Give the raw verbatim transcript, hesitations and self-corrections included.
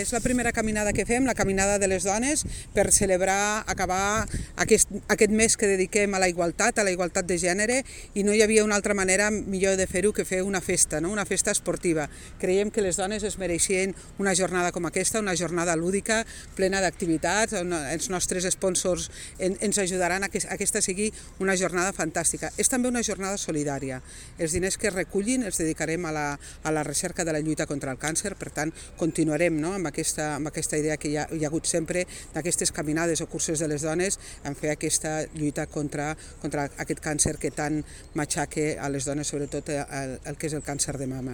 És la primera caminada que fem, la caminada de les dones, per celebrar, acabar aquest, aquest mes que dediquem a la igualtat, a la igualtat de gènere, i no hi havia una altra manera millor de fer-ho que fer una festa, no? Una festa esportiva. Creiem que les dones es mereixien una jornada com aquesta, una jornada lúdica, plena d'activitats, on els nostres sponsors en, ens ajudaran a que aquesta sigui una jornada fantàstica. És també una jornada solidària. Els diners que es recullin els dedicarem a la, a la recerca de la lluita contra el càncer, per tant, continuarem, no? amb, aquesta, amb aquesta idea que hi ha, hi ha hagut sempre d'aquestes caminades o curses de les dones en fer aquesta lluita contra, contra aquest càncer que tant matxaca a les dones, sobretot el, el que és el càncer de mama.